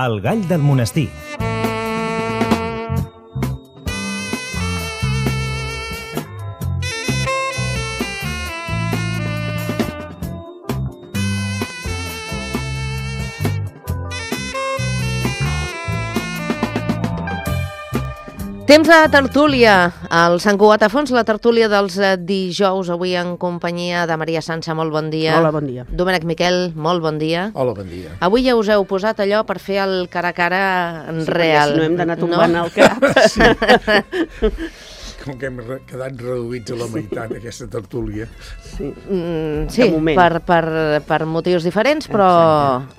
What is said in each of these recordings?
El gall del monestir. Temps de tertúlia, al Sant Cugat a Fons, la tertúlia dels dijous, avui en companyia de Maria Sança, molt bon dia. Hola, bon dia. Domènec Miquel, molt bon dia. Hola, bon dia. Avui ja us heu posat allò per fer el cara a cara real. Si no hem d'anar tombant al cap. Sí. Com que hem quedat reduïts a la meitat d'aquesta tertúlia. Sí, sí, per motius diferents, però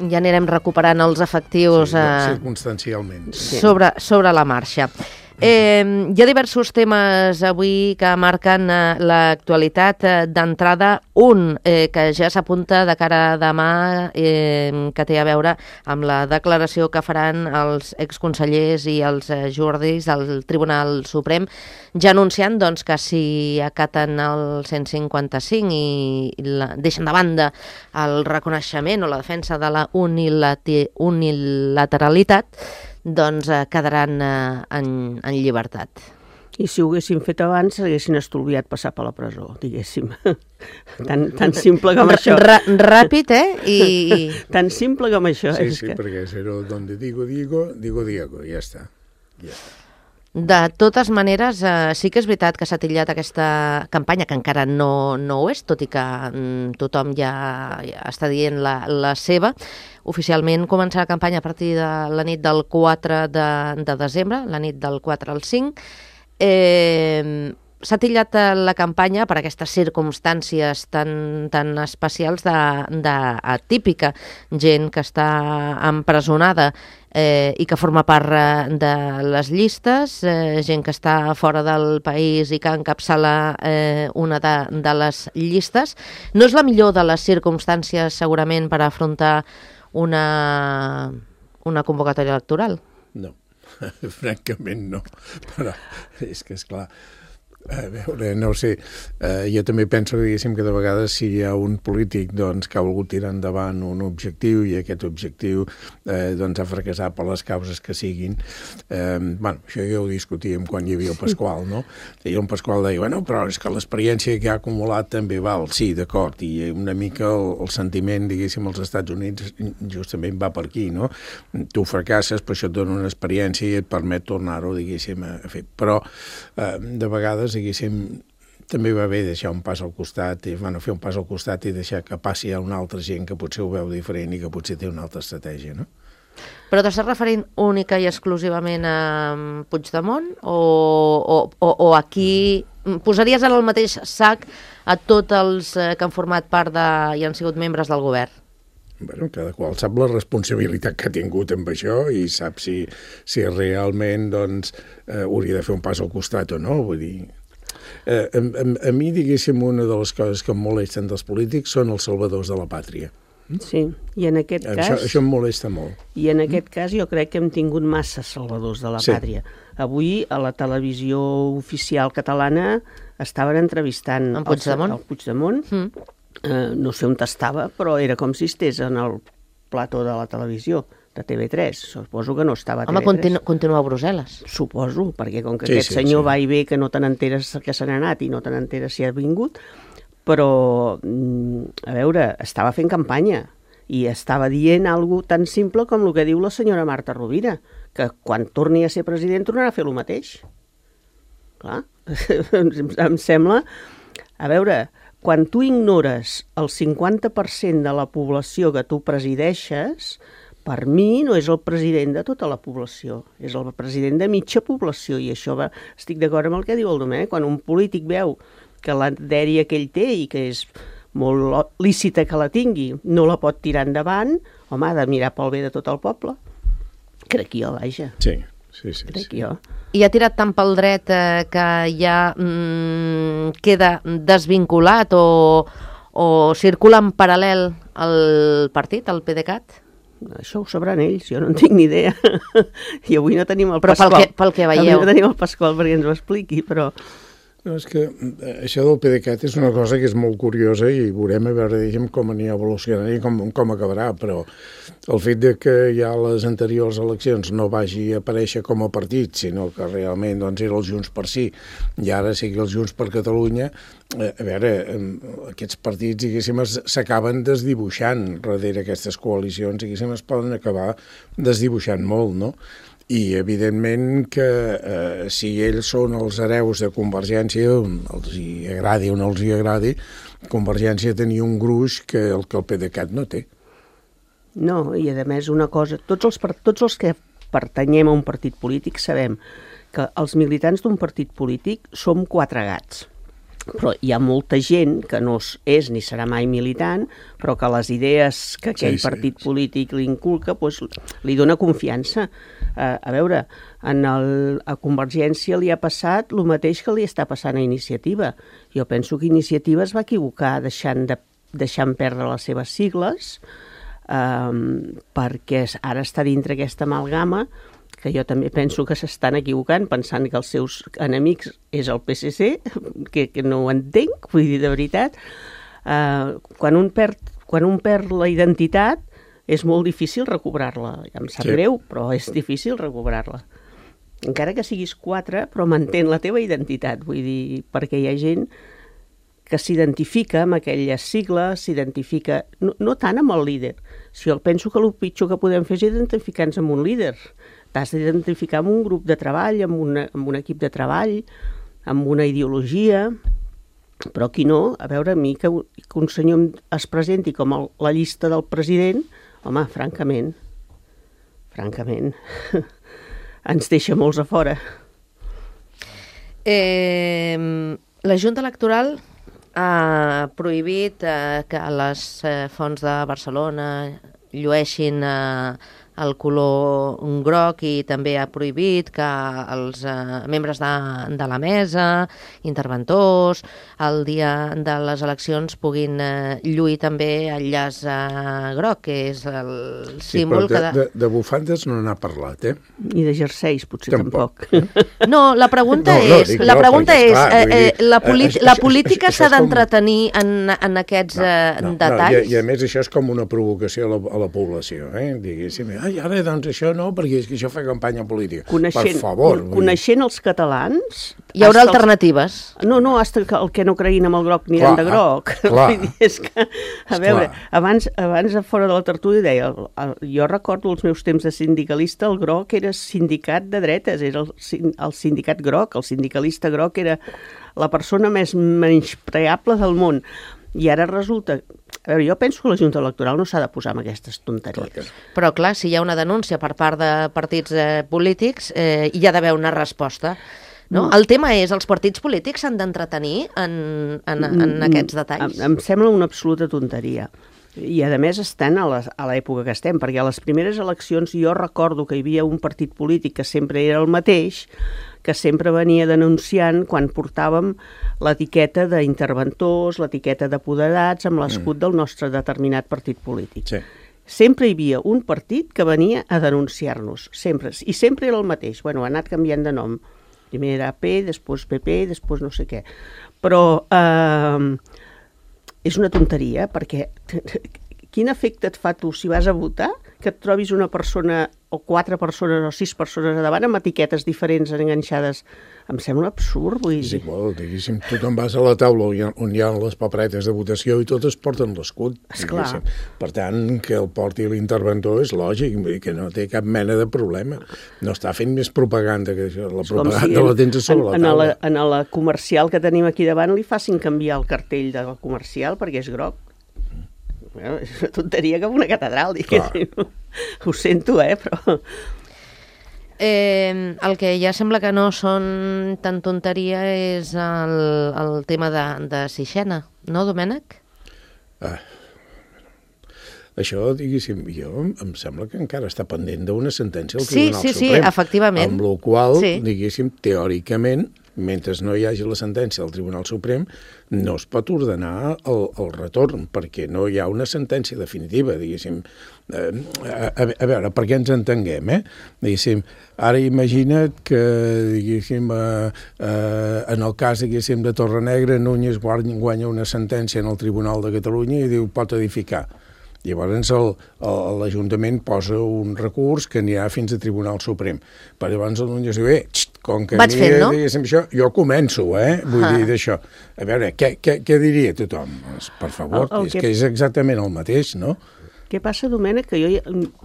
ja anirem recuperant els efectius circumstancialment. Sobre la marxa. Hi ha diversos temes avui que marquen l'actualitat. D'entrada, un que ja s'apunta de cara a demà, que té a veure amb la declaració que faran els exconsellers i els jurdis del Tribunal Suprem, ja anunciant doncs, que si acaten el 155 i deixen de banda el reconeixement o la defensa de la unilateralitat, doncs quedaran en llibertat. I si ho haguessin fet abans, haguessin estolviat passar per la presó, diguéssim. Tan simple com això. Ràpid, Tan simple com això. Sí, perquè però donde digo, ja està. De totes maneres, sí que és veritat que s'ha titllat aquesta campanya, que encara no ho és, tot i que tothom ja està dient la seva. Oficialment començarà la campanya a partir de la nit del 4 de desembre, la nit del 4 al 5. S'ha titllat la campanya per aquestes circumstàncies tan especials d'atípica, gent que està empresonada i que forma part de les llistes, gent que està fora del país i que encapçala una de les llistes. No és la millor de les circumstàncies, segurament, per afrontar una convocatòria electoral? No, francament no. Però és que, esclar, a veure, no ho sé, jo també penso que de vegades si hi ha un polític que ha volgut tirar endavant un objectiu i aquest objectiu ha fracassat per les causes que siguin, això ja ho discutíem quan hi havia el Pasqual, no? I el Pasqual deia, però és que l'experiència que ha acumulat també val, sí, d'acord, i una mica el sentiment, diguéssim, als Estats Units justament va per aquí, no? Tu fracasses, però això et dona una experiència i et permet tornar-ho, diguéssim, a fer. Però de vegades també va bé deixar un pas al costat, fer un pas al costat i deixar que passi a una altra gent que potser ho veu diferent i que potser té una altra estratègia, no? Però t'estàs referint única i exclusivament a Puigdemont o aquí posaries en el mateix sac a tots els que han format part i han sigut membres del govern? Cada qual sap la responsabilitat que ha tingut amb això i sap si realment hauria de fer un pas al costat o no, vull dir... A mi, diguéssim, una de les coses que em molesten dels polítics són els salvadors de la pàtria. Sí, i en aquest cas... Això em molesta molt. I en aquest cas jo crec que hem tingut massa salvadors de la pàtria. Avui, a la televisió oficial catalana, estaven entrevistant el Puigdemont. No sé on estava, però era com si estigués en el plató de la televisió, de TV3. Suposo que no estava a TV3. Home, continua a Brussel·les. Suposo, perquè com que aquest senyor va i ve que no te n'enteres que se n'ha anat i no te n'enteres si ha vingut, però, a veure, estava fent campanya i estava dient alguna cosa tan simple com el que diu la senyora Marta Rovira, que quan torni a ser president tornarà a fer el mateix. Clar, em sembla... A veure, quan tu ignores el 50% de la població que tu presideixes, per mi no és el president de tota la població, és el president de mitja població, i això estic d'acord amb el que diu el Domènec. Quan un polític veu que la dèria que ell té i que és molt lícita que la tingui, no la pot tirar endavant, home, ha de mirar pel bé de tot el poble. Crec jo, vaja. Sí. Crec jo. I ha tirat tant pel dret que ja queda desvinculat o circula en paral·lel el partit, el PDeCAT? Això ho sabran ells, jo no en tinc ni idea. I avui no tenim el Pasqual. Però pel que veieu. Avui no tenim el Pasqual perquè ens ho expliqui, però... No, és que això del PDeCAT és una cosa que és molt curiosa i veurem a veure, diguem, com anirà evolucionant i com acabarà, però el fet de que ja les anteriors eleccions no vagi a aparèixer com a partit, sinó que realment doncs, era el Junts per Sí i ara sigui el Junts per Catalunya, a veure, aquests partits, diguéssim, s'acaben desdibuixant darrere aquestes coalicions, diguéssim, es poden acabar desdibuixant molt, no? I, evidentment, que si ells són els hereus de Convergència, els hi agradi o no els hi agradi, Convergència tenia un gruix que el PDeCAT no té. No, i a més una cosa, tots els que pertanyem a un partit polític sabem que els militants d'un partit polític som quatre gats. Però hi ha molta gent que no és ni serà mai militant, però que les idees que aquell partit polític li inculca doncs, li dona confiança. A veure, a Convergència li ha passat el mateix que li està passant a Iniciativa. Jo penso que Iniciativa es va equivocar deixant perdre les seves sigles, perquè ara està dintre aquesta amalgama, que jo també penso que s'estan equivocant pensant que els seus enemics és el PSC, que no ho entenc, vull dir, de veritat. Quan un perd la identitat és molt difícil recobrar-la. Ja em sap greu, però és difícil recobrar-la. Encara que siguis quatre, però mantén la teva identitat, vull dir, perquè hi ha gent que s'identifica amb aquelles sigles, s'identifica no tant amb el líder. Si jo penso que el pitjor que podem fer és identificar-nos amb un líder. T'has d'identificar amb un grup de treball, amb un equip de treball, amb una ideologia, però aquí no. A veure, a mi que un senyor es presenti com la llista del president, home, francament, ens deixa molts a fora. La Junta Electoral ha prohibit que les fonts de Barcelona llueixin el color groc i també ha prohibit que els membres de la mesa, interventors, el dia de les eleccions puguin lluir també el llaç groc, que és el símbol... De bufandes no n'ha parlat, eh? I de jerseis, potser tampoc. No, la pregunta és... La política s'ha d'entretenir en aquests detalls? I a més això és com una provocació a la població, diguéssim. Ai, ara, doncs això no, perquè és que això fa campanya política. Per favor. Coneixent els catalans... Hi haurà alternatives. No, hasta el que no creguin amb el groc aniran de groc. Clar. És que, a veure, abans fora de la tertúlia deia, jo recordo els meus temps de sindicalista, el groc era sindicat de dretes, era el sindicat groc, el sindicalista groc era la persona més menyspreable del món. I ara resulta... A veure, jo penso que la Junta Electoral no s'ha de posar amb aquestes tonteries. Però, clar, si hi ha una denúncia per part de partits polítics, hi ha d'haver una resposta. No? El tema és, els partits polítics s'han d'entretenir en aquests detalls? Em sembla una absoluta tonteria. I, a més, estan a l'època que estem, perquè a les primeres eleccions jo recordo que hi havia un partit polític que sempre era el mateix, que sempre venia denunciant quan portàvem l'etiqueta d'interventors, l'etiqueta d'apoderats, amb l'escut del nostre determinat partit polític. Sí. Sempre hi havia un partit que venia a denunciar-nos, sempre. I sempre era el mateix. Bueno, ha anat canviant de nom. Primer era P, després PP, després no sé què. Però és una tonteria, perquè quin efecte et fa tu si vas a votar que et trobis una persona o 4 persones o 6 persones a davant amb etiquetes diferents enganxades? Em sembla absurd, vull dir. És igual, diguéssim, tu te'n vas a la taula on hi ha les paperetes de votació i totes porten l'escut. Esclar. Per tant, que el porti l'interventor és lògic, que no té cap mena de problema. No està fent més propaganda que això. La propaganda la tens a sobre la taula. En la comercial que tenim aquí davant li facin canviar el cartell de la comercial perquè és groc. Bueno, és una tonteria com una catedral, diguéssim. Ho sento, però... El que ja sembla que no són tan tonteria és el tema de Sixena, no, Domènec? Això, diguéssim, em sembla que encara està pendent d'una sentència del Tribunal Suprem. Sí, efectivament. Amb la qual, diguéssim, teòricament, mentre no hi hagi la sentència del Tribunal Suprem, no es pot ordenar el retorn, perquè no hi ha una sentència definitiva, diguéssim. A veure, perquè ens entenguem, diguéssim, ara imagina't que, diguéssim, en el cas, diguéssim, de Torrenegra, Núñez guanya una sentència en el Tribunal de Catalunya i diu pot edificar. Llavors l'Ajuntament posa un recurs que anirà fins al Tribunal Suprem. Però llavors el Núñez diu, com que diguéssim això, jo començo, vull dir d'això. A veure, què diria tothom? Per favor, és que és exactament el mateix, no? Què passa, Domènec, que jo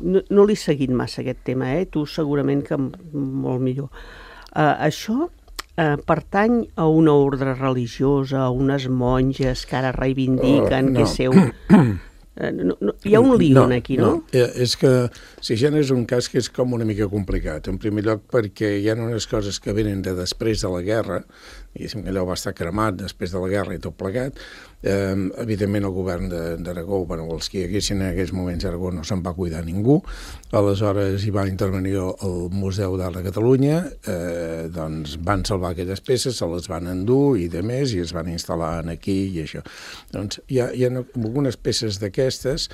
no l'he seguit massa aquest tema, tu segurament que molt millor. Això pertany a una ordre religiosa, a unes monges que ara reivindiquen que seu... hi ha un lío aquí, no? És que Sigena és un cas que és com una mica complicat. En primer lloc perquè hi ha unes coses que venen de després de la guerra, diguéssim que allò va estar cremat després de la guerra i tot plegat. Evidentment el govern d'Aragó, els que hi haguessin en aquells moments a Aragó no se'n va cuidar ningú, aleshores hi va intervenir el Museu d'Art de Catalunya, doncs van salvar aquelles peces, se les van endur i de més, i es van instal·lar aquí i això. Doncs hi ha algunes peces d'aquestes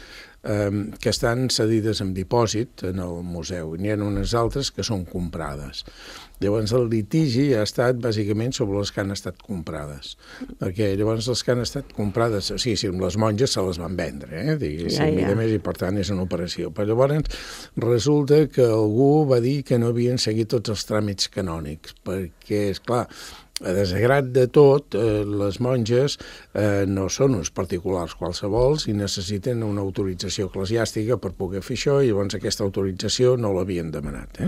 que estan cedides en dipòsit en el museu, i n'hi ha unes altres que són comprades. Llavors el litigi ha estat bàsicament sobre les que han estat comprades, perquè llavors les que han estat comprades, o sigui, les monges se les van vendre, diguéssim, i més, i per tant és una operació. Però llavors resulta que algú va dir que no havien seguit tots els tràmits canònics, perquè, esclar, a desgrat de tot, les monges no són uns particulars qualsevols i necessiten una autorització eclesiàstica per poder fer això, i llavors aquesta autorització no l'havien demanat.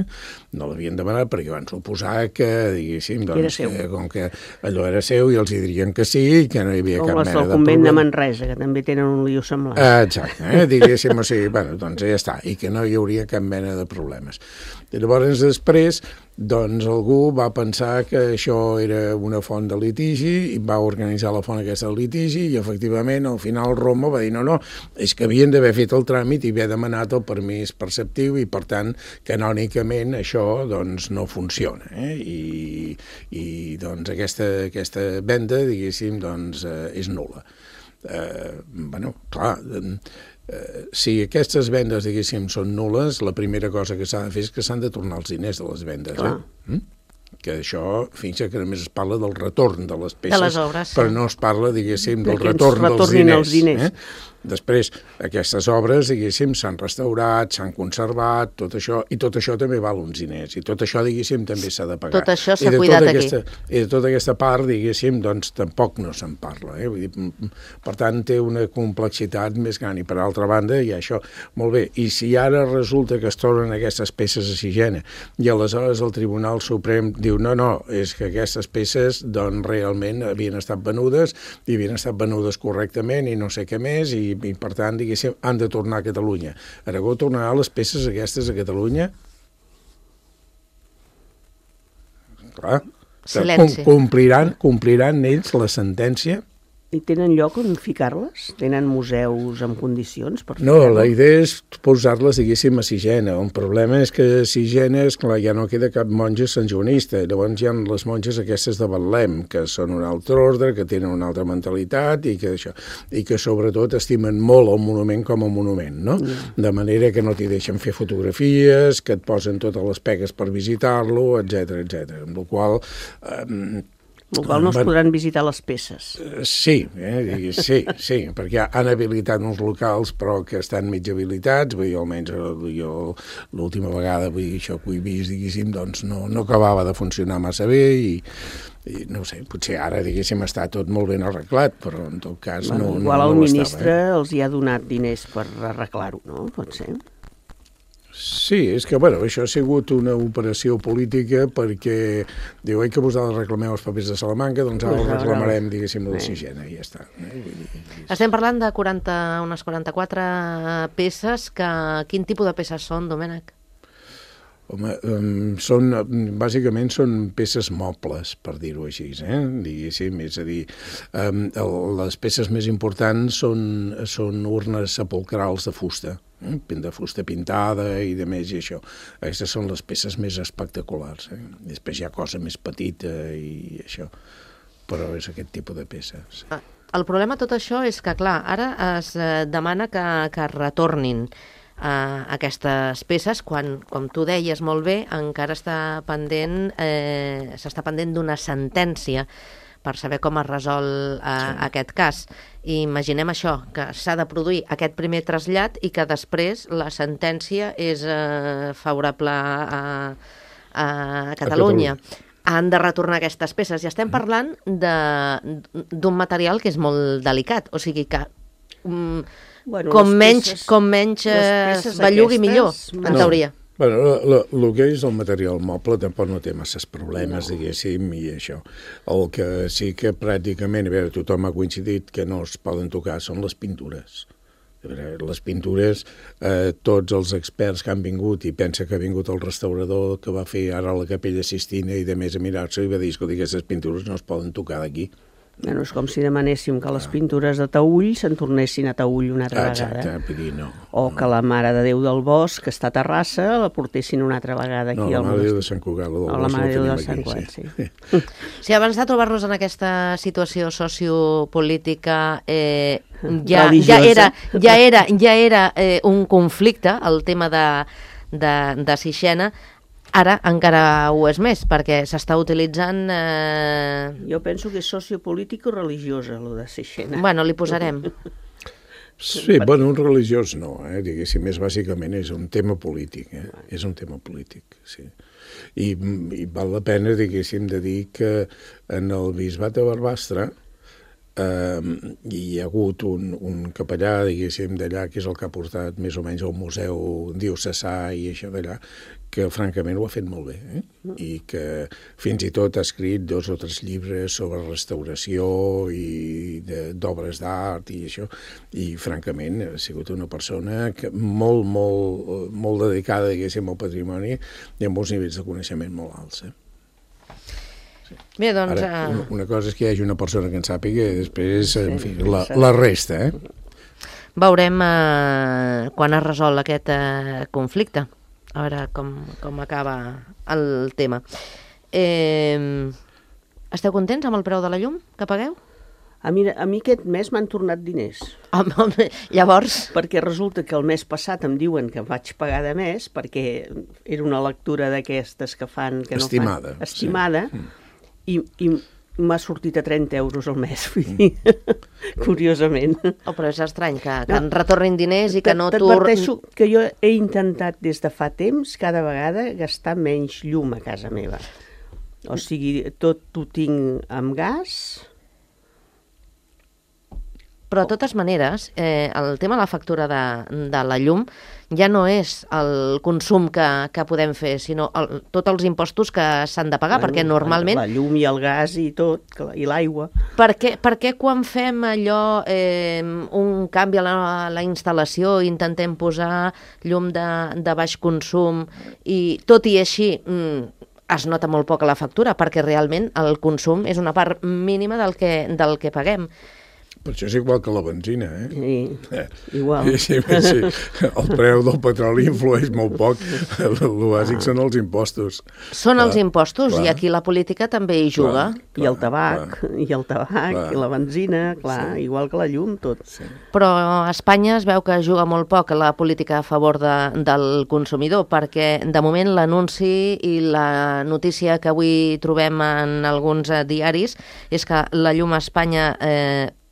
No l'havien demanat perquè van suposar que, diguéssim, com que allò era seu i els hi dirien que sí i que no hi havia cap mena de problema. Com els del convent de Manresa, que també tenen un lío semblant. Exacte, diguéssim, o sigui, doncs ja està, i que no hi hauria cap mena de problemes. I llavors després, doncs algú va pensar que això era una font de litigi i va organitzar la font aquesta de litigi i efectivament al final Roma va dir no, és que havien d'haver fet el tràmit i haver demanat el permís perceptiu i per tant canònicament això doncs no funciona i doncs aquesta venda diguéssim doncs és nul·la. Clar, si aquestes vendes, diguéssim, són nul·les, la primera cosa que s'ha de fer és que s'han de tornar els diners de les vendes. Que això, fins que només es parla del retorn de les peces, de les obres, però no es parla, diguéssim, del retorn dels diners. Després, aquestes obres, diguéssim, s'han restaurat, s'han conservat, tot això, i tot això també val uns diners, i tot això, diguéssim, també s'ha de pagar. Tot això s'ha cuidat aquí. I de tota aquesta part, diguéssim, doncs tampoc no se'n parla. Vull dir, per tant, té una complexitat més gran, i per altra banda, hi ha això. Molt bé, i si ara resulta que es tornen aquestes peces a Sigena, i aleshores el Tribunal Suprem diu no, és que aquestes peces doncs realment havien estat venudes, i havien estat venudes correctament, i no sé què més, i per tant, diguéssim, han de tornar a Catalunya. Aragó tornarà les peces aquestes a Catalunya? Clar, compliran ells la sentència? I tenen lloc on ficar-les? Tenen museus en condicions per ficar-les? No, la idea és posar-les, diguéssim, a Sigena. El problema és que a Sigena, esclar, ja no queda cap monja santjoanista. Llavors hi ha les monges aquestes de Betlem, que són un altre ordre, que tenen una altra mentalitat i que sobretot estimen molt el monument com a monument, no? De manera que no t'hi deixen fer fotografies, que et posen totes les pegues per visitar-lo, etc. Amb la qual no es podran visitar les peces. Sí, perquè han habilitat uns locals però que estan mig habilitats, vull dir, almenys jo l'última vegada, vull dir, això que he vist, diguéssim, doncs no acabava de funcionar massa bé i no sé, potser ara, diguéssim, està tot molt ben arreglat, però en tot cas no ho estava. Igual el ministre els hi ha donat diners per arreglar-ho, no? Pot ser. Sí, és que, això ha sigut una operació política perquè diu, que vosaltres reclameu els papers de Salamanca, doncs ara els reclamarem, diguéssim, de Sigena, i ja està. Estem parlant de unes 44 peces, quin tipus de peces són, Domènec? Home, bàsicament són peces mobles, per dir-ho així, diguéssim. És a dir, les peces més importants són urnes sepulcrals de fusta pintada i de més, i això. Aquestes són les peces més espectaculars. Després hi ha cosa més petita i això, però és aquest tipus de peces. El problema de tot això és que, clar, ara es demana que es retornin aquestes peces quan, com tu deies molt bé, encara s'està pendent d'una sentència per saber com es resol aquest cas. I imaginem això, que s'ha de produir aquest primer trasllat i que després la sentència és favorable a Catalunya. Han de retornar aquestes peces. I estem parlant d'un material que és molt delicat, o sigui que com menys es bellugui millor, en teoria. El que és el material moble tampoc no té masses problemes, diguéssim, i això. El que sí que pràcticament, tothom ha coincidit que no es poden tocar són les pintures. Les pintures, tots els experts que han vingut, i pensa que ha vingut el restaurador que va fer ara la Capella Sistina i de més a mirar-s'ho i va dir, escolta, aquestes pintures no es poden tocar d'aquí. Bueno, és com si demanéssim que les pintures de Taüll se'n tornessin a Taüll una altra vegada. Exacte, vull dir, no. O que la Mare de Déu del Bosc, que està a Terrassa, la portessin una altra vegada aquí. No, la Mare de Déu de Sant Cugat, la Mare de Déu de Sant Cugat, sí. Sí, abans de trobar-nos en aquesta situació sociopolítica, ja era un conflicte, el tema de Sixena. Ara encara ho és més, perquè s'està utilitzant... Jo penso que és sociopolítico-religiosa, el de Sixena. Bueno, li posarem. Sí, bueno, un religiós no, diguéssim, més bàsicament és un tema polític, és un tema polític, sí. I val la pena, diguéssim, de dir que en el bisbat de Barbastre hi ha hagut un capellà, diguéssim, d'allà, que és el que ha portat més o menys al museu diocesà i això d'allà, que francament ho ha fet molt bé, i que fins i tot ha escrit 2 o 3 llibres sobre restauració i d'obres d'art i això, i francament ha sigut una persona que molt dedicada, diguéssim, al patrimoni i amb uns nivells de coneixement molt alts. Bé, doncs... Ara, una cosa és que hi hagi una persona que en sàpiga i després, en fi, la resta, Veurem quan es resol aquest conflicte, a veure com acaba el tema. Esteu contents amb el preu de la llum que pagueu? A mi aquest mes m'han tornat diners. Llavors? Perquè resulta que el mes passat em diuen que vaig pagar de més, perquè era una lectura d'aquestes que fan... Estimada. Estimada. I m'ha sortit a 30 euros al mes, vull dir, curiosament. Però és estrany que en retornin diners i que no... T'adverteixo que jo he intentat des de fa temps, cada vegada, gastar menys llum a casa meva. O sigui, tot ho tinc amb gas... Però, de totes maneres, el tema de la factura de la llum ja no és el consum que podem fer, sinó tots els impostos que s'han de pagar, perquè normalment... La llum i el gas i tot, i l'aigua. Per què quan fem allò, un canvi a la instal·lació, intentem posar llum de baix consum, i tot i així... es nota molt poc a la factura, perquè realment el consum és una part mínima del que paguem. Per això és igual que la benzina, Sí, igual. Sí. El preu del petroli influeix molt poc. El bàsic són els impostos. Són els impostos, i aquí la política també hi juga. I el tabac, i la benzina, igual que la llum, tot. Sí. Però a Espanya es veu que juga molt poc la política a favor del consumidor, perquè de moment l'anunci i la notícia que avui trobem en alguns diaris és que la llum a Espanya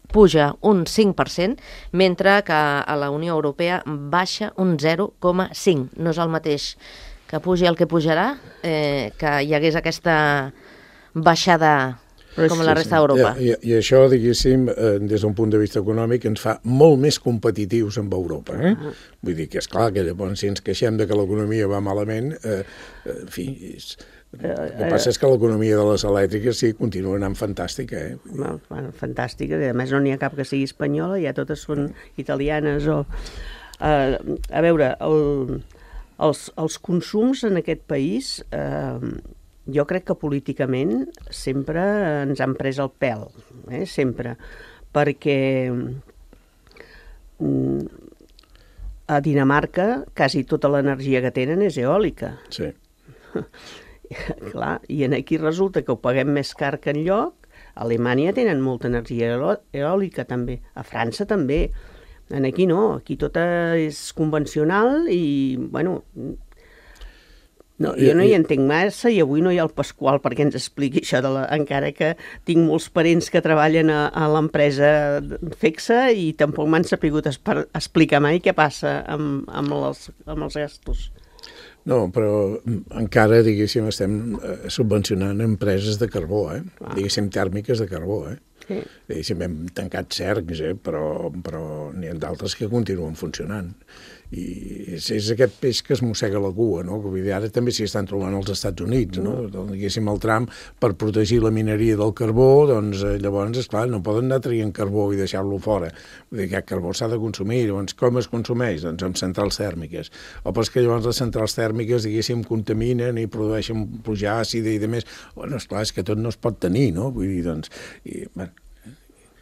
puja un 5%, mentre que a la Unió Europea baixa un 0,5%. No és el mateix que pugi el que pujarà, que hi hagués aquesta baixada com a la resta d'Europa. I això, diguéssim, des d'un punt de vista econòmic, ens fa molt més competitius amb Europa. Vull dir que, esclar, que llavors si ens queixem de que l'economia va malament, en fi... El que passa és que l'economia de les elèctriques sí continua anant fantàstica. Fantàstica, a més no n'hi ha cap que sigui espanyola, ja totes són italianes. A veure, Els consums en aquest país, jo crec que políticament sempre ens han pres el pèl, sempre, perquè a Dinamarca quasi tota l'energia que tenen és eòlica. Sí. Clar, i aquí resulta que ho paguem més car que enlloc. A Alemanya tenen molta energia eòlica també, a França també. Aquí no, aquí tot és convencional i, bueno, jo no hi entenc massa i avui no hi ha el Pasqual perquè ens expliqui això, encara que tinc molts parents que treballen a l'empresa FECSA i tampoc m'han sapigut explicar mai què passa amb els gastos. No, però encara, diguéssim, estem subvencionant empreses de carbó, diguéssim, tèrmiques de carbó, Sí. Diguéssim, hem tancat cercs, però n'hi ha d'altres que continuen funcionant. I és aquest peix que es mossega la cua, no? Que vull dir, ara també s'hi estan trobant als Estats Units, no? Diguéssim, el Trump, per protegir la mineria del carbó, doncs llavors, esclar, no poden anar traient carbó i deixar-lo fora. Vull dir, aquest carbó s'ha de consumir. Llavors, com es consumeix? Doncs amb centrals tèrmiques. O però és que llavors les centrals tèrmiques, diguéssim, contaminen i produeixen pluja àcida i demés. Bueno, esclar, és que tot no es pot tenir, no? Vull dir, doncs...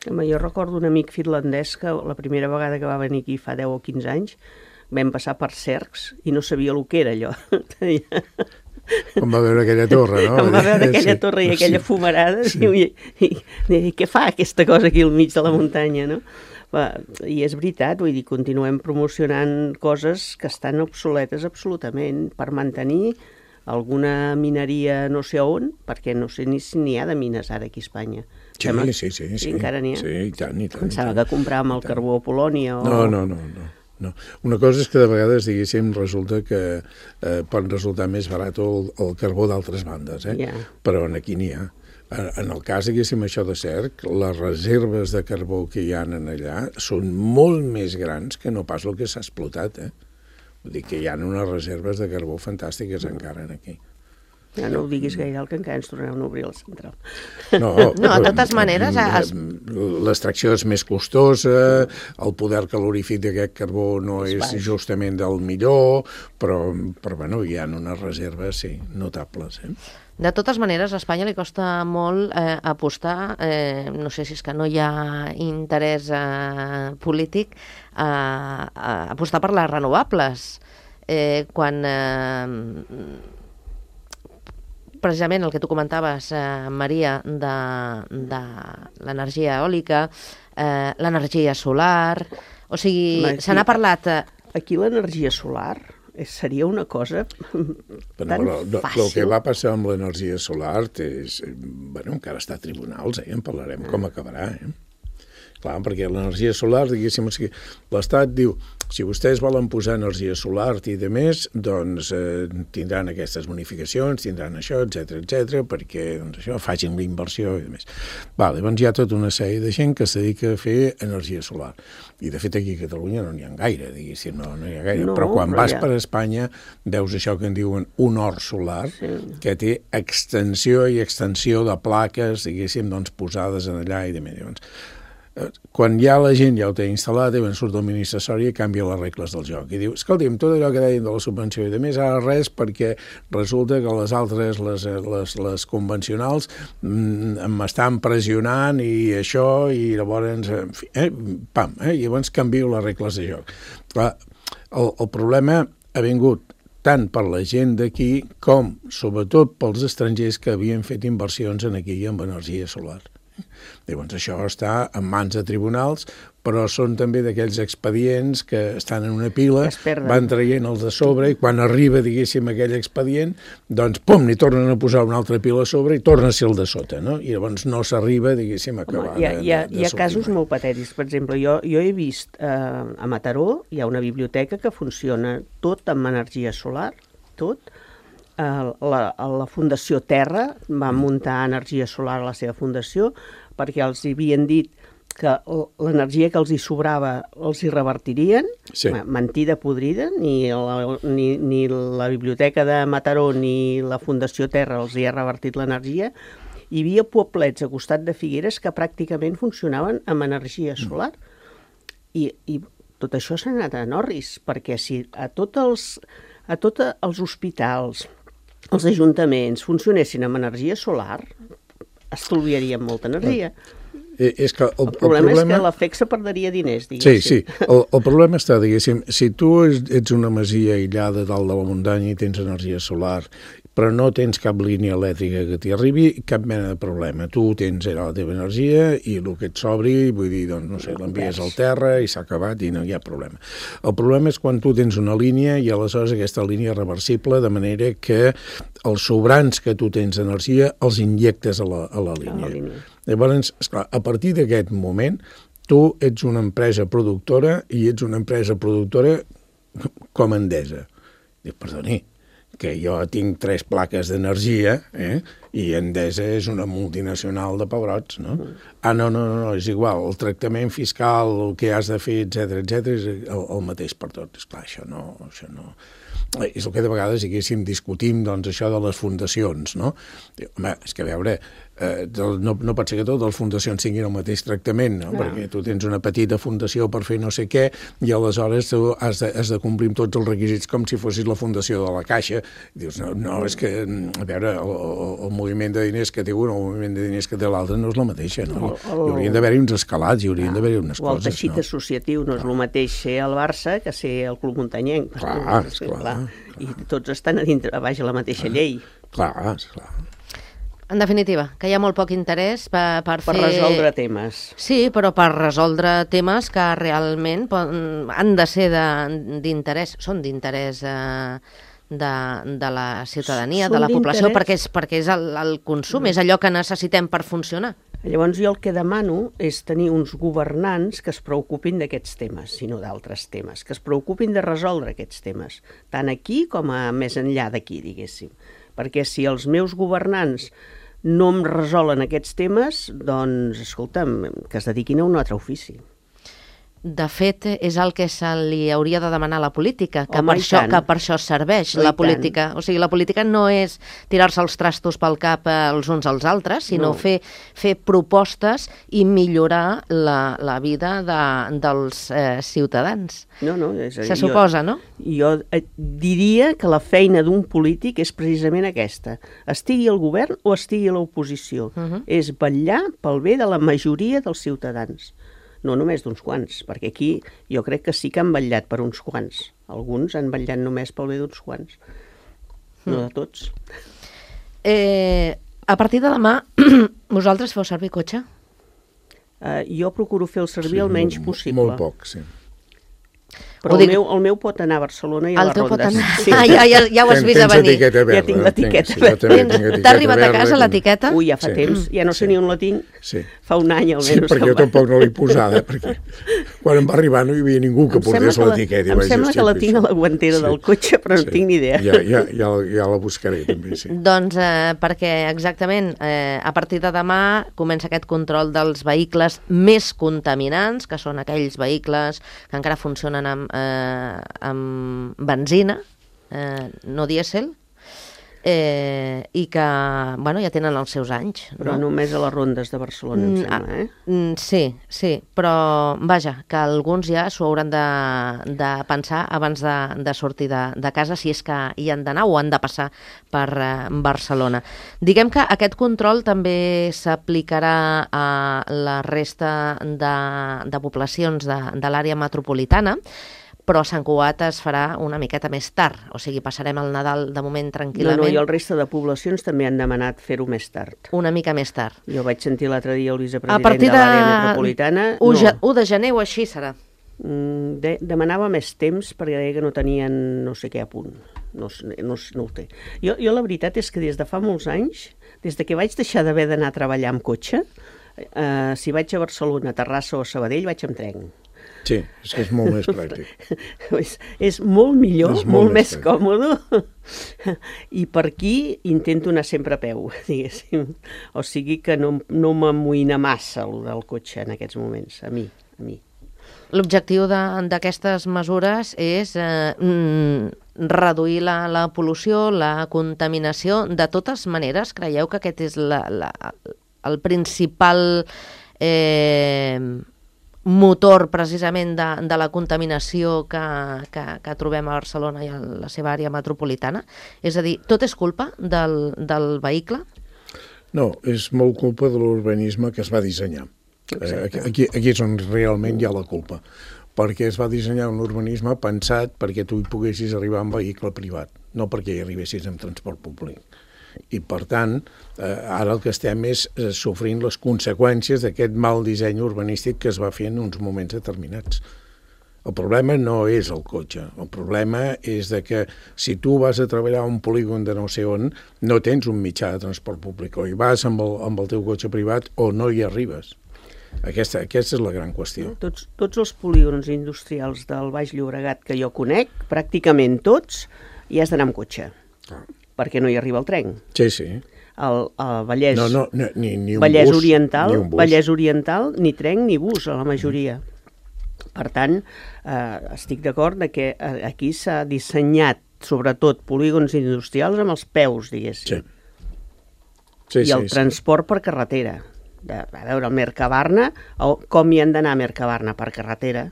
Jo recordo un amic finlandès que la primera vegada que va venir aquí fa 10 o 15 anys vam passar per cercs i no sabia el que era allò. Com va veure aquella torre, no? Com va veure aquella torre i aquella fumarada, i què fa aquesta cosa aquí al mig de la muntanya, no? I és veritat, vull dir, continuem promocionant coses que estan obsoletes absolutament per mantenir alguna mineria no sé on, perquè no sé ni si n'hi ha de mines ara aquí a Espanya. Sí. Encara n'hi ha? Sí, i tant. Pensava que compràvem el carbó a Polònia o... No. Una cosa és que de vegades, diguéssim, resulta que pot resultar més barat el carbó d'altres bandes, però aquí n'hi ha. En el cas, diguéssim, això de Cerc, les reserves de carbó que hi ha allà són molt més grans que no pas el que s'ha explotat, Vull dir que hi ha unes reserves de carbó fantàstiques encara aquí. Ja no ho diguis gaire, que encara ens tornarem a obrir la central. No, de totes maneres... L'extracció és més costosa, el poder calorífic d'aquest carbó no és justament del millor, però bueno, hi ha unes reserves, sí, notables, De totes maneres, a Espanya li costa molt apostar, no sé si és que no hi ha interès polític, apostar per les renovables. Quan precisament el que tu comentaves, Maria, de l'energia eòlica, l'energia solar, o sigui, se n'ha parlat... Aquí l'energia solar seria una cosa tan fàcil. El que va passar amb l'energia solar és... Bueno, encara està a tribunals, en parlarem com acabarà, Clar, perquè l'energia solar, diguéssim, l'Estat diu, si vostès volen posar energia solar i de més, doncs tindran aquestes bonificacions, tindran això, etc perquè això facin la inversió i de més. Llavors hi ha tota una sèrie de gent que es dedica a fer energia solar. I de fet aquí a Catalunya no n'hi ha gaire, diguéssim, no hi ha gaire. Però quan vas per Espanya veus això que en diuen un hort solar, que té extensió i extensió de plaques, diguéssim, doncs posades en allà i de més. Quan ja la gent ja ho té instal·lat, surt el ministre Soria i canvia les regles del joc. I diu, escolti'm, tot allò que deien de la subvenció i de més, ara res, perquè resulta que les altres, les convencionals, m'estan pressionant i això, i llavors, en fi, i llavors canvio les regles de joc. Clar, el problema ha vingut tant per la gent d'aquí com, sobretot, pels estrangers que havien fet inversions aquí amb energia solar. Llavors això està en mans de tribunals, però són també d'aquells expedients que estan en una pila, van traient-els de sobre i quan arriba, diguéssim, aquell expedient, doncs, pum, n'hi tornen a posar una altra pila a sobre i torna a ser el de sota, no? I llavors no s'arriba, diguéssim, a acabar de sortir. Hi ha casos molt patètics. Per exemple, jo he vist a Mataró, hi ha una biblioteca que funciona tot amb energia solar, tot. La Fundació Terra va muntar energia solar a la seva fundació perquè els havien dit que l'energia que els hi sobrava els hi revertirien, mentida podrida, ni la Biblioteca de Mataró ni la Fundació Terra els hi ha revertit l'energia. Hi havia poblets a costat de Figueres que pràcticament funcionaven amb energia solar. I tot això s'ha anat a Norris, perquè si a tots els a tots els hospitals, els ajuntaments, funcionessin amb energia solar, estalviaríem molta energia. És que el problema és que l'EFEC se perdria diners, diguéssim. Sí. El problema està, diguéssim, si tu ets una masia aïllada dalt de la muntanya i tens energia solar, però no tens cap línia elèctrica que t'hi arribi, cap mena de problema. Tu tens la teva energia i el que et sobri, vull dir, doncs, no sé, l'envies al terra i s'ha acabat i no hi ha problema. El problema és quan tu tens una línia i aleshores aquesta línia és reversible, de manera que els sobrants que tu tens d'energia els injectes a la línia. Llavors, esclar, a partir d'aquest moment, tu ets una empresa productora i ets una empresa productora com Endesa. Dic, perdoni, que jo tinc 3 plaques d'energia i Endesa és una multinacional de pebrots, no? No, és igual, el tractament fiscal, el que has de fer, etc és el mateix per tot. Esclar, això no... És el que de vegades, diguéssim, discutim, doncs, això de les fundacions, no? Home, és que a veure, no pot ser que totes les fundacions tinguin el mateix tractament, no? Perquè tu tens una petita fundació per fer no sé què i aleshores tu has de complir amb tots els requisits com si fossis la fundació de la Caixa. I dius, no, és que, a veure, el moviment de diners que té un o el moviment de diners que té l'altre no és la mateixa, no? Hi haurien d'haver uns escalats, hi haurien d'haver unes coses, no? O el teixit associatiu no és el mateix ser el Barça que ser el Club Muntanyenc. Clar. I tots estan a baix a la mateixa llei. Clar. En definitiva, que hi ha molt poc interès per resoldre temes. Sí, però per resoldre temes que realment han de ser d'interès, són d'interès de la ciutadania, de la població, perquè és el consum, és allò que necessitem per funcionar. Llavors jo el que demano és tenir uns governants que es preocupin d'aquests temes, si no d'altres temes, que es preocupin de resoldre aquests temes, tant aquí com més enllà d'aquí, diguéssim. Perquè si els meus governants no em resolen aquests temes, doncs, escolta'm, que es dediquin a un altre ofici. De fet, és el que se li hauria de demanar a la política, que per això serveix la política. O sigui, la política no és tirar-se els trastos pel cap els uns als altres, sinó fer propostes i millorar la vida dels ciutadans. Se suposa, no? Jo diria que la feina d'un polític és precisament aquesta. Estigui al govern o estigui a l'oposició. És vetllar pel bé de la majoria dels ciutadans. No només d'uns quants, perquè aquí jo crec que sí que han vetllat per uns quants. Alguns han vetllat només pel bé d'uns quants, no de tots. A partir de demà, vosaltres feu servir cotxe? Jo procuro fer el servir el menys possible. Molt poc, sí. Però el meu pot anar a Barcelona i a les rondes. Ja ho has vist a venir. Ja tinc l'etiqueta. T'ha arribat a casa l'etiqueta? Ui, ja fa temps. Ja no sé ni on la tinc. Fa un any almenys. Sí, perquè jo tampoc no l'he posada, perquè quan em va arribar no hi havia ningú que portés l'etiqueta. Em sembla que la tinc a la guantera del cotxe, però no tinc ni idea. Ja la buscaré, també, sí. Doncs perquè exactament a partir de demà comença aquest control dels vehicles més contaminants, que són aquells vehicles que encara funcionen amb benzina, no dièsel, i que ja tenen els seus anys. Però només a les rondes de Barcelona, em sembla, Sí, però vaja, que alguns ja s'ho hauran de pensar abans de sortir de casa, si és que hi han d'anar o han de passar per Barcelona. Diguem que aquest control també s'aplicarà a la resta de poblacions de l'àrea metropolitana, però a Sant Cugat es farà una miqueta més tard, o sigui, passarem el Nadal de moment tranquil·lament. I el resta de poblacions també han demanat fer-ho més tard. Una mica més tard. Jo vaig sentir l'altre dia el vicepresident de l'àrea metropolitana. A partir de 1 de gener o així serà. Demanava més temps perquè deia que no tenien no sé què a punt. No ho té. Jo la veritat és que des de fa molts anys, des de que vaig deixar d'haver d'anar a treballar amb cotxe, si vaig a Barcelona, Terrassa o Sabadell, vaig amb tren. Sí, és que és molt més pràctic. És molt millor, molt més còmode. I per aquí intento anar sempre a peu, diguéssim. O sigui que no m'amoïna massa el del cotxe en aquests moments, a mi. L'objectiu d'aquestes mesures és reduir la pol·lució, la contaminació. De totes maneres, creieu que aquest és el principal motor precisament de la contaminació que trobem a Barcelona i a la seva àrea metropolitana? És a dir, tot és culpa del vehicle? No, és molt culpa de l'urbanisme que es va dissenyar. Aquí és on realment hi ha la culpa, perquè es va dissenyar un urbanisme pensat perquè tu hi poguessis arribar en vehicle privat, no perquè hi arribessis en transport públic. I, per tant, ara el que estem és sofrint les conseqüències d'aquest mal disseny urbanístic que es va fer en uns moments determinats. El problema no és el cotxe, el problema és de que si tu vas a treballar a un polígon de no sé on, no tens un mitjà de transport públic, o hi vas amb el teu cotxe privat o no hi arribes. Aquesta és la gran qüestió. Tots els polígons industrials del Baix Llobregat que jo conec, pràcticament tots, hi has d'anar amb cotxe, perquè no hi arriba el tren. Sí, sí. El Vallès, ni un Vallès bus, Oriental, ni un bus. Vallès Oriental, ni tren ni bus, a la majoria. Per tant, estic d'acord que aquí s'ha dissenyat, sobretot, polígons industrials amb els peus, diguéssim. Sí. I el transport per carretera. A veure, el Mercabarna, com hi han d'anar a Mercabarna? Per carretera.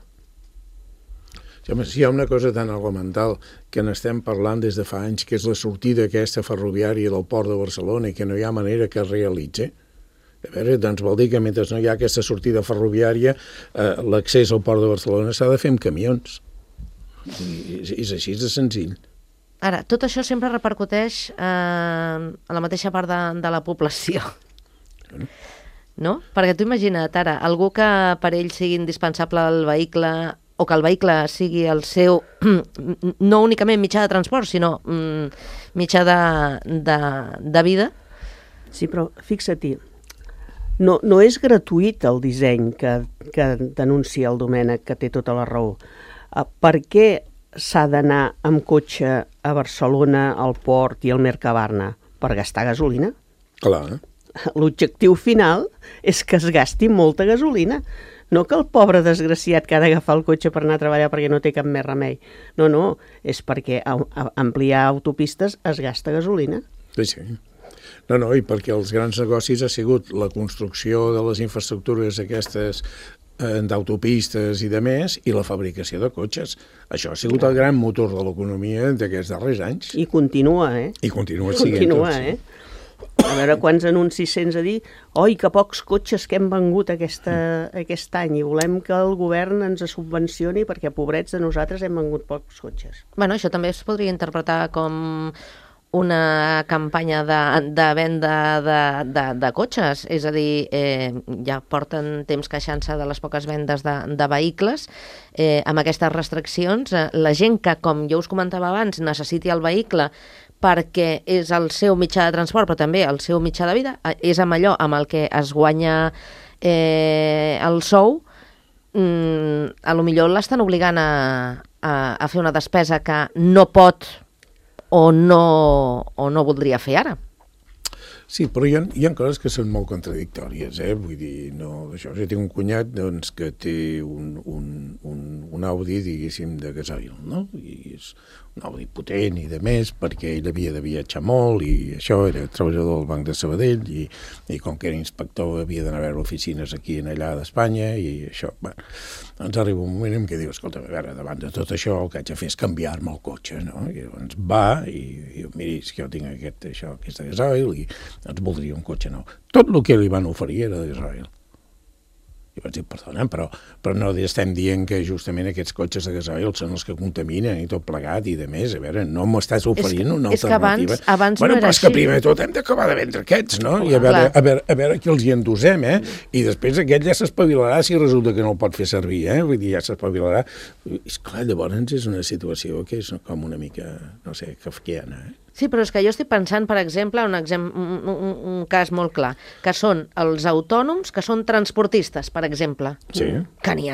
Si hi ha una cosa tan elemental que n'estem parlant des de fa anys, que és la sortida aquesta ferroviària del port de Barcelona i que no hi ha manera que es realitzi, a veure, doncs vol dir que mentre no hi ha aquesta sortida ferroviària, l'accés al port de Barcelona s'ha de fer amb camions. És així de senzill. Ara, tot això sempre repercuteix a la mateixa part de la població. No? Perquè tu imagina't ara, algú que per ell sigui indispensable el vehicle, o que el vehicle sigui el seu, no únicament mitjà de transport, sinó mitjà de vida. Sí, però fixa-t'hi, no és gratuït el disseny que denuncia el Domènec, que té tota la raó. Per què s'ha d'anar amb cotxe a Barcelona, al port i al Mercabarna? Per gastar gasolina? Clar. L'objectiu final és que es gasti molta gasolina. No que el pobre desgraciat que ha d'agafar el cotxe per anar a treballar perquè no té cap més remei. No, és perquè ampliar autopistes es gasta gasolina. Sí. No, i perquè els grans negocis ha sigut la construcció de les infraestructures aquestes d'autopistes i de més, i la fabricació de cotxes. Això ha sigut el gran motor de l'economia d'aquests darrers anys. I continua, I continua siguent tot, sí. A veure quants anuncis sents a dir oi, que pocs cotxes que hem vengut aquest any i volem que el govern ens subvencioni perquè, pobrets de nosaltres, hem vengut pocs cotxes. Bueno, això també es podria interpretar com una campanya de venda de cotxes, és a dir, ja porten temps queixant-se de les poques vendes de vehicles, amb aquestes restriccions, la gent que, com jo us comentava abans, necessiti el vehicle perquè és el seu mitjà de transport, però també el seu mitjà de vida, és amb allò amb el que es guanya el sou, a lo millor l'estan obligant a fer una despesa que no pot o no voldria fer ara. Sí, però hi ha coses que són molt contradictòries, vull dir, no, això, jo tinc un cunyat doncs, que té un Audi, diguéssim, de gasoil, no? I és un Audi potent i de més, perquè ell havia de viatjar molt i això, era treballador del Banc de Sabadell i com que era inspector havia d'anar a veure oficines aquí i allà d'Espanya i això, bueno, doncs arriba un moment en què diu, escolta, a veure, davant de tot això el que haig de fer és canviar-me el cotxe, no? I llavors va i diu, miri, és que jo tinc aquest de gasoil i doncs voldria un cotxe nou. Tot el que li van oferir era de gasoil. I vaig dir, perdona, però no estem dient que justament aquests cotxes de gasoil són els que contaminen i tot plegat i de més. A veure, no m'estàs oferint una alternativa. És que abans bueno, no era però és que primer tot hem d'acabar de vendre aquests, no? I a veure qui els hi endosem, I després aquest ja s'espavilarà si resulta que no el pot fer servir, Vull dir, ja s'espavilarà. És clar, llavors és una situació que és com una mica, no sé, kafkiana, Sí, però és que jo estic pensant, per exemple, un cas molt clar, que són els autònoms que són transportistes, per exemple, que n'hi ha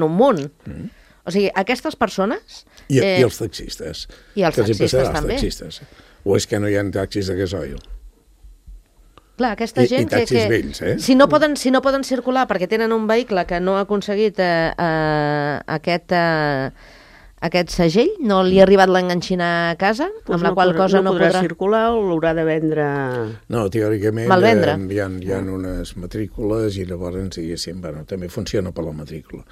un munt. O sigui, aquestes persones... I els taxistes. I els taxistes també. O és que no hi ha taxis de gasoil? Clar, aquesta gent I taxis vells, si no poden circular perquè tenen un vehicle que no ha aconseguit aquest segell? No li ha arribat l'enganxina a casa? Pues amb la qual cosa no podrà circular o l'haurà de vendre... No, teòricament malvendre. Hi ha unes matrícules i llavors, diguéssim, també funciona per la matrícula.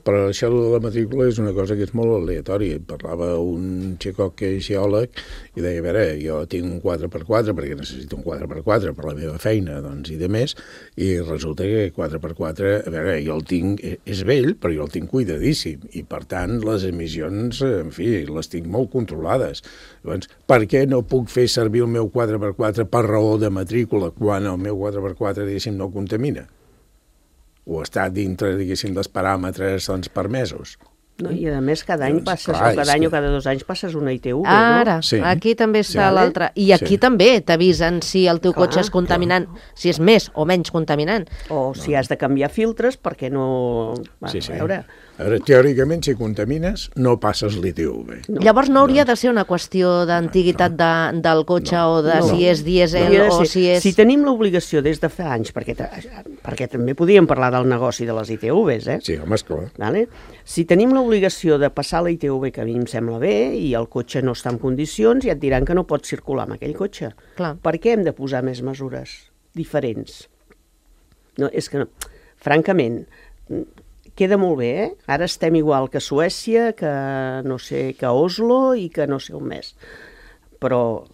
Però això de la matrícula és una cosa que és molt aleatòria. Parlava un xicot que és geòleg i deia, a veure, jo tinc un 4x4 perquè necessito un 4x4 per la meva feina, doncs, i de més, i resulta que 4x4, a veure, jo el tinc, és vell, però jo el tinc cuidadíssim, i per tant les emissions, en fi, les tinc molt controlades. Llavors, per què no puc fer servir el meu 4x4 per raó de matrícula quan el meu 4x4, diguéssim, no contamina? O està dintre, diguéssim, dels paràmetres permesos? No, i a més cada any passes, o cada any o cada 2 anys passes una ITV, ara, no? Sí. Aquí també està l'altra. I aquí també t'avisen si el teu cotxe és contaminant, si és més o menys contaminant. O si has de canviar filtres perquè no... Sí. A veure, teòricament, si contamines, no passes l'ITV. No. Llavors no hauria de ser una qüestió d'antiguitat del cotxe o de si és dièsel o si és... Si tenim l'obligació des de fa anys, perquè també podíem parlar del negoci de les ITVs, Sí, home, esclar. Vale? Si tenim l'obligació de passar la ITV, que a mi em sembla bé, i el cotxe no està en condicions, ja et diran que no pots circular amb aquell cotxe. Clar. Per què hem de posar més mesures diferents? No, és que, francament, queda molt bé, Ara estem igual que Suècia, que no sé, que Oslo i que no sé on més. Però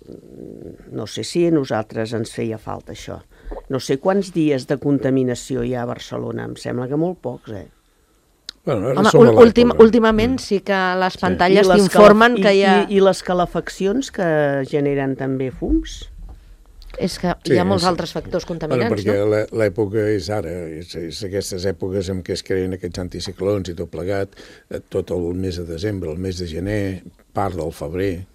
no sé si a nosaltres ens feia falta això. No sé quants dies de contaminació hi ha a Barcelona, em sembla que molt pocs, Bueno, home, últimament sí que les pantalles t'informen que hi ha... I les calefaccions que generen també fums? És que hi ha molts altres factors contaminants, perquè l'època és ara, és aquestes èpoques en què es creen aquests anticiclons i tot plegat, tot el mes de desembre, el mes de gener, part del febrer.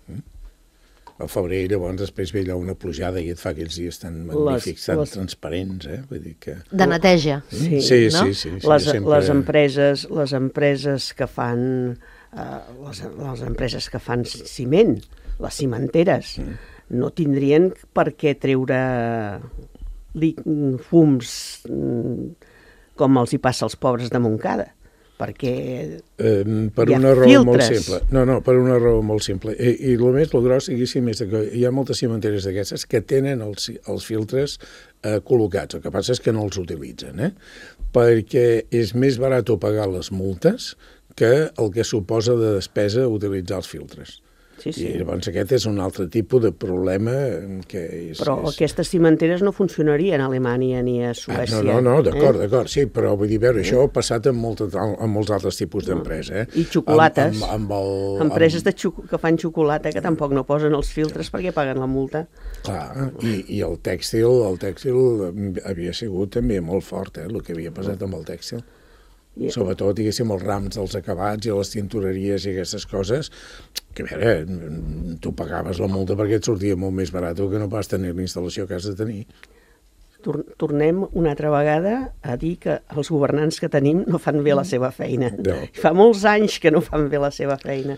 Al febrer, llavors, després ve allà una plujada i et fa aquells dies tan magnífics, tan transparents, Vull dir que... De neteja. Sí. Les empreses que fan... les empreses que fan ciment, les cimenteres, no tindrien per què treure fums com els hi passa als pobres de Montcada, perquè per una raó molt simple. No, per una raó molt simple. I el més, el gros, diguéssim, és que hi ha moltes cimenteres d'aquestes que tenen els filtres col·locats. El que passa és que no els utilitzen, perquè és més barat pagar les multes que el que suposa de despesa utilitzar els filtres. Sí. I llavors aquest és un altre tipus de problema que és... Però aquestes cimenteres no funcionarien a Alemanya ni a Suècia. No, d'acord, sí, però vull dir, veure, això ha passat amb molts altres tipus d'empresa. I xocolates, empreses que fan xocolata que tampoc no posen els filtres perquè paguen la multa. Clar, i el tèxtil havia sigut també molt fort, el que havia passat amb el tèxtil. Sobretot, diguéssim, els rams dels acabats i les tintoreries i aquestes coses, que a veure, tu pagaves la multa perquè et sortia molt més barat que no pas tenir l'instal·lació que has de tenir. Tornem una altra vegada a dir que els governants que tenim no fan bé la seva feina. No. Fa molts anys que no fan bé la seva feina.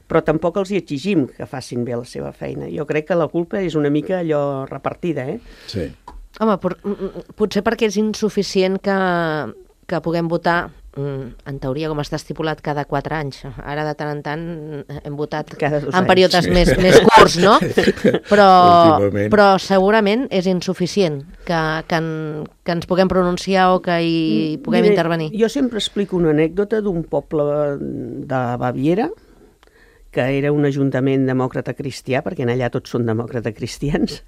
Però tampoc els hi exigim que facin bé la seva feina. Jo crec que la culpa és una mica allò repartida, Sí. Home, potser perquè és insuficient que puguem votar, en teoria, com està estipulat, cada 4 anys. Ara, de tant en tant, hem votat en períodes més curts, no? Però segurament és insuficient que ens puguem pronunciar o que hi puguem intervenir. Jo sempre explico una anècdota d'un poble de Baviera, que era un ajuntament demòcrata cristià, perquè en allà tots són demòcrata cristians,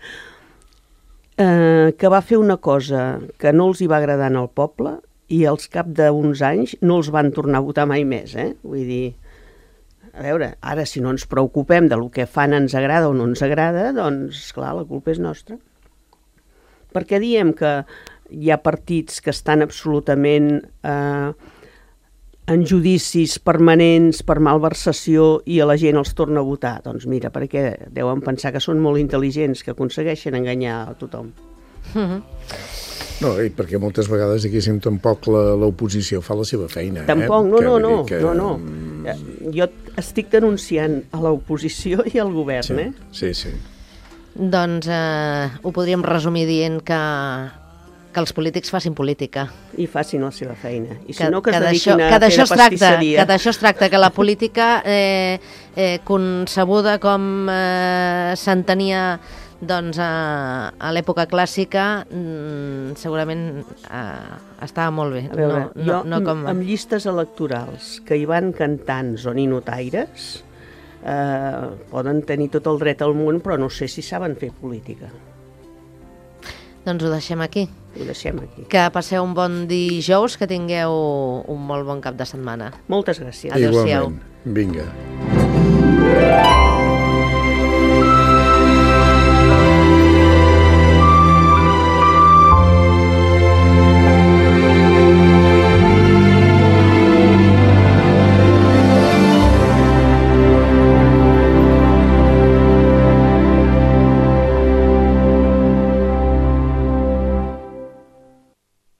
que va fer una cosa que no els hi va agradar al poble i al cap d'uns anys no els van tornar a votar mai més, Vull dir, a veure, ara si no ens preocupem de lo que fan ens agrada o no ens agrada, doncs, clar, la culpa és nostra. Perquè diem que hi ha partits que estan absolutament en judicis permanents per malversació i a la gent els torna a votar? Doncs mira, perquè deuen pensar que són molt intel·ligents, que aconsegueixen enganyar a tothom. No, i perquè moltes vegades, diguéssim, tampoc l'oposició fa la seva feina. Tampoc, no. Jo estic denunciant a l'oposició i al govern, Sí. Doncs ho podríem resumir dient que que els polítics facin política. I facin la seva feina. I si Que- no, que es que dediquin d'això- a que fer d'això de es tracta, pastisseria. que d'això es tracta, que la política concebuda com s'entenia doncs, a l'època clàssica, segurament estava molt bé. A veure, no com... amb llistes electorals que hi van cantants o ninotaires, poden tenir tot el dret al món, però no sé si saben fer política. Doncs ho deixem aquí. Ho deixem aquí. Que passeu un bon dijous, que tingueu un molt bon cap de setmana. Moltes gràcies. Adéu-siau. Igualment. Vinga.